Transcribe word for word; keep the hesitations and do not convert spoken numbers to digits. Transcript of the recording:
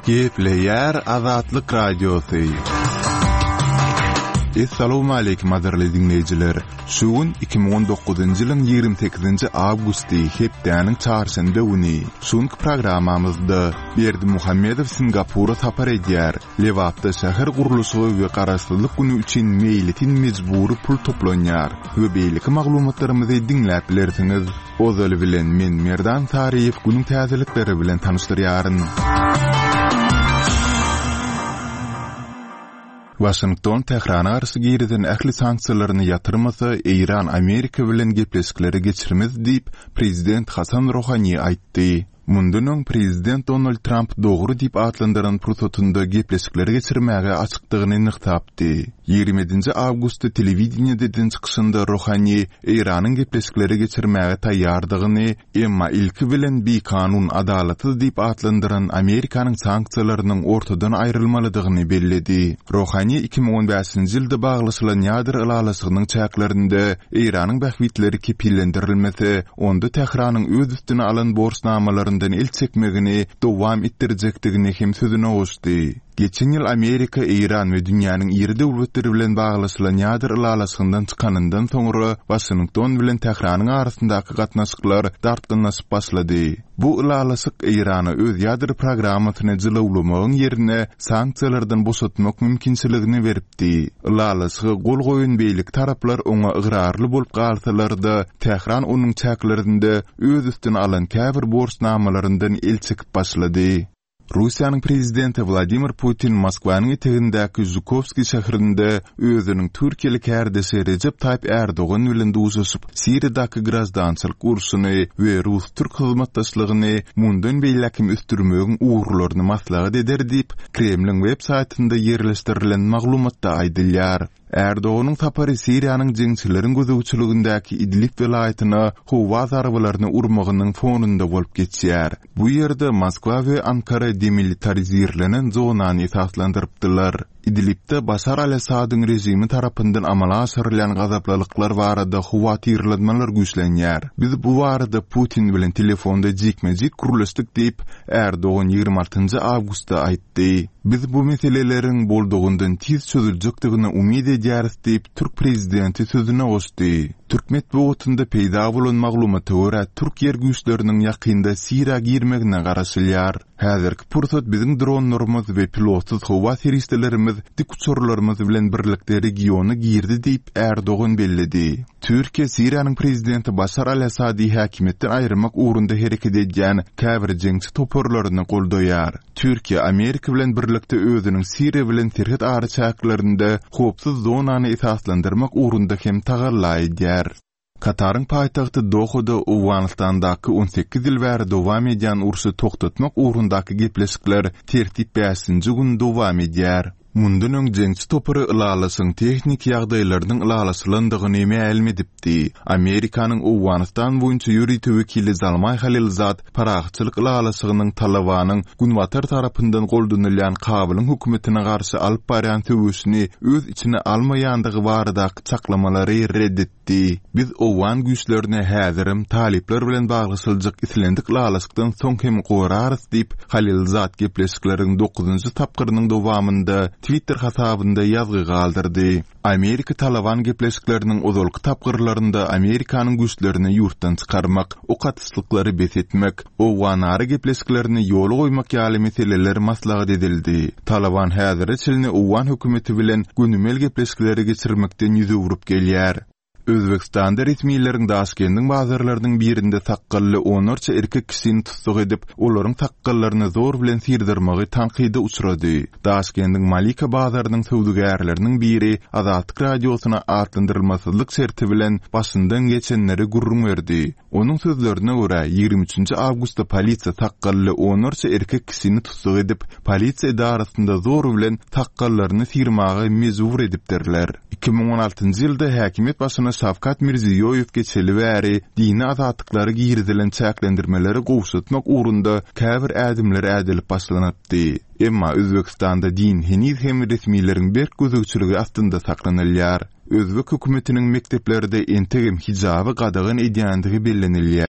Gepleýär Azatlyk Radiosy. Essalawmaleýkim gadyrly diňleýjiler! Şu gün iki müň on dokuzynjy ýylyň ýigrimi sekizinji awgusty, hepdäniň çarşenbe güni. Şu günki programmamyzda Berdimuhamedow Singapura sapar edýär, Lebapda şäher gurluşygy we Garaşsyzlyk güni üçin meýletin mejbury pul toplanýar we beýleki maglumatlarymyzy diňläp bilersiňiz. Ozaly bilen men Merdan Saryýew günüň täzelikleri bilen tanyşdyrýaryn. Waşington Tährana garşy girizen ähli sanksiýalaryny ýatyrmasa, Eýran Amerika bilen gepleşikleri geçirmez diýip, prezident Hasan Rohani aýtdy. Mundan öň prezident Donald Tramp dogry diýip atlandyran pursatynda gepleşikleri geçirmäge açykdygyny nygtapdy. Ýigrimi ýedinji awgustda telewideniýede eden çykyşynda Rohani Eýranyň gepleşikleri geçirmäge taýýardygyny, emma ilki bilen bikanun, adalatsyz diýip atlandyran Amerikanyň sanksiýalarynyň ortadan aýrylmalydygyny belledi. Rohani iki müň on bäşinji ýylda baglaşylan ýadro ylalaşygynyň çäklerinde Eýranyň bähbitleri kepillendirilmese, onda Tähranyň öz üstüne alan borçnamalaryndan el çekmegini dowam etdirjekdigini hem sözüne goşdy. Geçen ýyl Amerika Eýran we dünýäniň iri döwletleri bilen baglaşylan ýadro ylalaşygyndan çykanyndan soňra Waşington bilen Tähranyň arasyndaky gatnaşyklar dartgynlaşyp başlady. Bu ylalaşyk Eýrana öz ýadro programmasyny jylawlamagyň ýerine sanksiýalardan boşatmak mümkinçiligini beripdi. Ylalaşyga gol goýan beýleki taraplar oňa ygrarly bolup galsalar-da, Tähran onuň çäklerinde öz üstüne alan käbir borçnamalaryndan el çekip başlady. Russiýanyň prezidenti Wladimir Putin Moskwanyň etegindäki Žukowskiý şäherinde özüniň türkiýeli kärdeşi Rejep Taýyp Ärdogan bilen duşuşyp, Siriýadaky graždançylyk urşuny we rus-türk hyzmatdaşlygyny mundan beýläk hem ösdürmegiň ugurlaryny maslahat eder diýip, Kremliň web saýtynda ýerleşdirilen maglumatda aýdylýar. Ärdoganyň sapary Siriýanyň jeňçileriň gözegçiligindäki Idlib welaýatyna howa zarbalaryny urmagynyň fonunda bolup geçýär. Bu ýerde Moskwa we Ankara demilitarizirlenen zonany esaslandyrypdylar. Idlibde Başar al-Assadyň režimi tarapyndan amala aşyrylýan gazaplylyklar barada howatyrlanmalar güýçlenýär. Biz bu barada Putin bilen telefonda jikme-jik gürleşdik diýip, Ärdogan ýigrimi altynjy awgustda aýtdy. Biz bu meseleleriň boldugyndan tiz çözüljekdigine umyt edýäris diýip, türk prezidenti sözüne goşdy. Türk metbugatynda peýda bolan maglumata görä, türk ýer güýçleriniň ýakynda Siriýa girmegine garaşylýar. Häzirki pursat biziň dronlarymyz we pilotsyz howa serişdelerimiz dik uçarlarymyz bilen birlikde regiona girdi diýip, Ärdogan belledi. Türkiýe Siriýanyň prezidenti Başar al-Assady häkimiýetden aýyrmak ugrunda hereket edýän käbir jeňçi toparlaryny goldaýar. Türkiýe Amerika bilen birlikde özüniň Siriýa bilen serhet araçäklerinde howpsuz zonany esaslandyrmak ugrunda hem tagalla edýär. Kataryň paýtagty Dohada Owganystandaky on sekiz ýyl bäri dowam edýän urşy togtatmak ugrundaky gepleşikler tertip bäşinji gün dowam edýär. Mundan öň jeňçi topary ylalaşygyň tehniki ýagdaýlarynyň ylalaşylandygyny mälim edipdi. Amerikanyň Owganystan boýunça ýörite wekili Zalmaý Halilzad parahatçylyk ylalaşygynyň Talybanyň günbatar tarapyndan goldanylýan Kabulyň hökümetine garşy alyp barýan söweşini öz içine almaýandygy baradaky çaklamalary red etdi. Biz owgan güýçlerini häzirem talyplar bilen baglaşyljak islendik ylalaşykdan soň hem gorarys diýip, Halilzad gepleşikleriň dokuzynjy tapgyrynyň dowamynda Twitter hasabynda ýazgy galdyrdy. Amerika Talaban gepleşikleriniň ozalky tapgyrlarynda Amerikanyň güýçlerini ýurtdan çykarmak, ok atyşlyklary bes etmek, owganara gepleşiklerini ýola goýmak ýaly meseleler maslahat edildi. Talaban häzire çenli owgan hökümeti bilen gönümel gepleşikleri geçirmekden ýüz öwrüp gelýär. Özbegistanda resmileriň Daşkendiň bazarlarynyň birinde sakgally onlarça erkek kişini tussag edip, olaryň sakgallaryny zor bilen syrdyrmagy tankyda uçrady. Daşkendiň Malika bazarynyň söwdagärleriniň biri Azatlyk Radiosyna atlandyrylmasyzlyk şerti bilen başyndan geçenleri gürrüň berdi. Onuň sözlerine görä, ýigrimi üçünji awgustda polisiýa sakgally onlarça erkek kişini tussag edip, polisiýa edarasynda zor bilen sakgallaryny syrmaga mejbur edipdirler. Iki müň on altynjy ýylda häkimiýet başyna Şawkat Mirziýoýew geçeli bäri dini azatlyklara girizilen çäklendirmeleri gowşatmak ugrunda käbir ädimler ädilip başlanypdy. Emma Özbegistanda din heniz hem resmileriň berk gözegçiligi astynda saklanylýar. Özbek hökümetiniň mekdeplerde entegem hijaby gadagan edýändigi bellenilýär.